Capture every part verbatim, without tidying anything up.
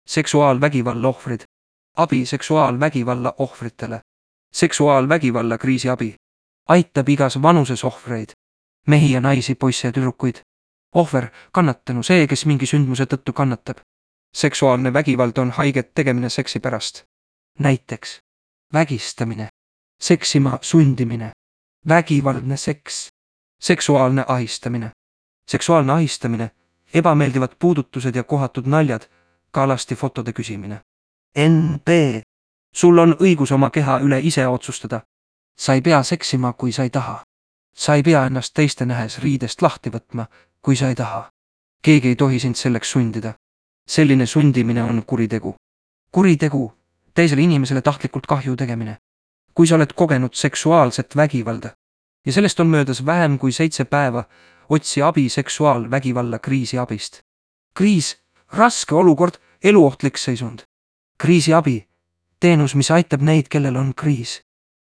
Seksuaalvägivalla ohvrid. Abi seksuaalvägivalla ohvritele. Seksuaalvägivalla kriisiabi. Aitab igas vanuses ohvreid. Mehi ja naisi, poisse ja tüdrukuid. Ohver, kannatanu, see, kes mingi sündmuse tõttu kannatab. Seksuaalne vägivald on haiget tegemine seksi pärast. Näiteks vägistamine, seksima sundimine, vägivaldne seks, seksuaalne ahistamine. Seksuaalne ahistamine, ebameeldivad puudutused ja kohatud naljad, ka alasti fotode küsimine. N B. Sul on õigus oma keha üle ise otsustada. Sa ei pea seksima, kui sa ei taha. Sa ei pea ennast teiste nähes riidest lahti võtma, kui sa ei taha. Keegi ei tohi sind selleks sundida. Selline sundimine on kuritegu. Kuritegu, teisele inimesele tahtlikult kahju tegemine. Kui sa oled kogenud seksuaalset vägivalda ja sellest on möödas vähem kui seitse päeva, otsi abi seksuaalvägivalla kriisiabist. Kriis, raske olukord, eluohtlik seisund. Kriisiabi, teenus, mis aitab neid, kellel on kriis.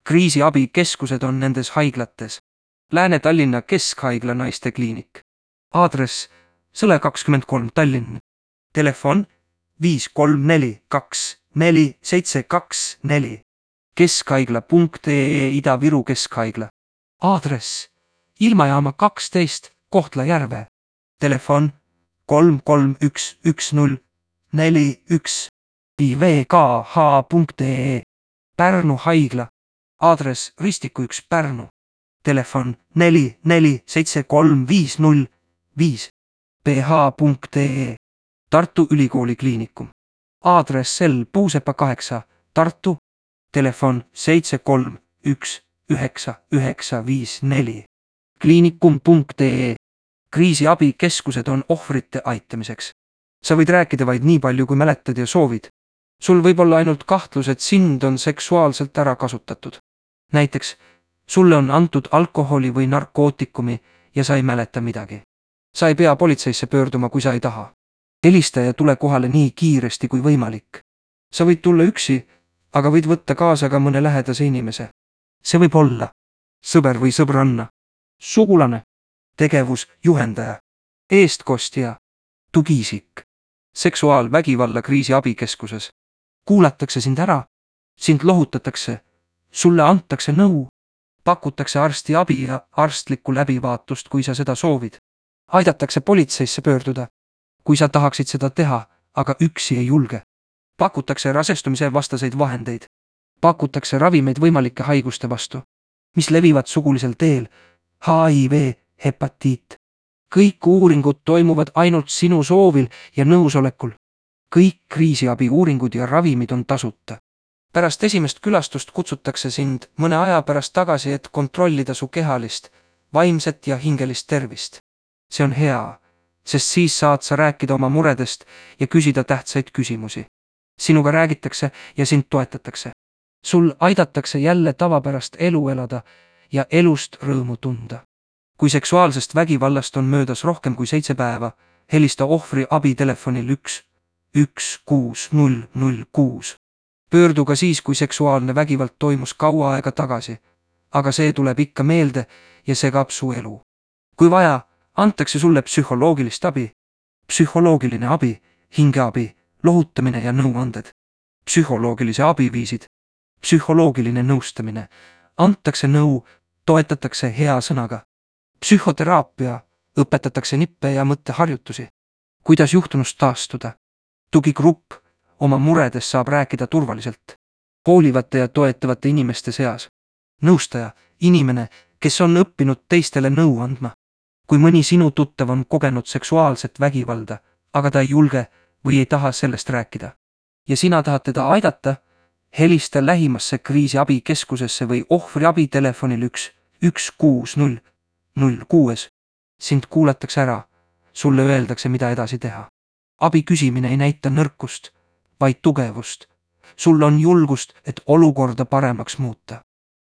Kriisiabikeskused on nendes haiglates. Lääne-Tallinna Keskhaigla naistekliinik. Aadress Sõle kakskümmend kolm Tallinn. Telefon viis kolm neli kaks neli seitse kaks neli. Keskhaigla punkt E E Ida-Viru Keskhaigla. Aadress Ilmajaama kaksteist Kohtla-Järve. Telefon kolm kolm üks üks null neli üks. I V K H punkt E E Pärnu haigla. Aadress Ristiku üks Pärnu. Telefon neli neli seitse kolm viis null viis. P H punkt E E Tartu Ülikooli kliinikum. Aadress L Puusepa kaheksa Tartu. Telefon seitse kolm üks üheksa üheksa viis neli. Kliinikum punkt E E Kriisiabikeskused on ohvrite aitamiseks. Sa võid rääkida vaid nii palju, kui mäletad ja soovid. Sul võib olla ainult kahtlus, et sind on seksuaalselt ära kasutatud. Näiteks, sulle on antud alkoholi või narkootikumi ja sa ei mäleta midagi. Sa ei pea politseisse pöörduma, kui sa ei taha. Helista ja tule kohale nii kiiresti kui võimalik. Sa võid tulla üksi, aga võid võtta kaasa ka mõne lähedase inimese. See võib olla sõber või sõbranna, sugulane, tegevus, juhendaja, eestkostja, tugiisik. Seksuaalvägivalla kriisiabikeskuses. Kuulatakse sind ära, sind lohutatakse, sulle antakse nõu, pakutakse arsti abi ja arstlikku läbivaatust, kui sa seda soovid. Aidatakse politseisse pöörduda, kui sa tahaksid seda teha, aga üksi ei julge. Pakutakse rasestumise vastaseid vahendeid. Pakutakse ravimeid võimalike haiguste vastu, mis levivad sugulisel teel, H I V, hepatiit. Kõik uuringud toimuvad ainult sinu soovil ja nõusolekul. Kõik kriisiabi uuringud ja ravimid on tasuta. Pärast esimest külastust kutsutakse sind mõne aja pärast tagasi, et kontrollida su kehalist, vaimset ja hingelist tervist. See on hea, sest siis saad sa rääkida oma muredest ja küsida tähtsaid küsimusi. Sinuga räägitakse ja sind toetatakse. Sul aidatakse jälle tavapärast elu elada ja elust rõõmu tunda. Kui seksuaalsest vägivallast on möödas rohkem kui seitse päeva, helista ohvri abitelefonil üks üks kuus null null kuus. Pöördu ka siis, kui seksuaalne vägivald toimus kaua aega tagasi, aga see tuleb ikka meelde ja segab su elu. Kui vaja, antakse sulle psühholoogilist abi. Psühholoogiline abi, hingeabi, lohutamine ja nõuanded. Psühholoogilise abi viisid. Psühholoogiline nõustamine. Antakse nõu, toetatakse hea sõnaga. Psühhoteraapia, õpetatakse nippe ja mõtteharjutusi. Kuidas juhtunust taastuda? Tugigrupp, oma muredes saab rääkida turvaliselt. Hoolivate ja toetavate inimeste seas. Nõustaja, inimene, kes on õppinud teistele nõu andma. Kui mõni sinu tuttav on kogenud seksuaalset vägivalda, aga ta ei julge või ei taha sellest rääkida. Ja sina tahad teda aidata, helista lähimasse kriisiabikeskusesse või ohvriabi telefonil üks üks kuus null null kuus. Sind kuulatakse ära, sulle öeldakse, mida edasi teha. Abi küsimine ei näita nõrkust, vaid tugevust. Sul on julgust, et olukorda paremaks muuta.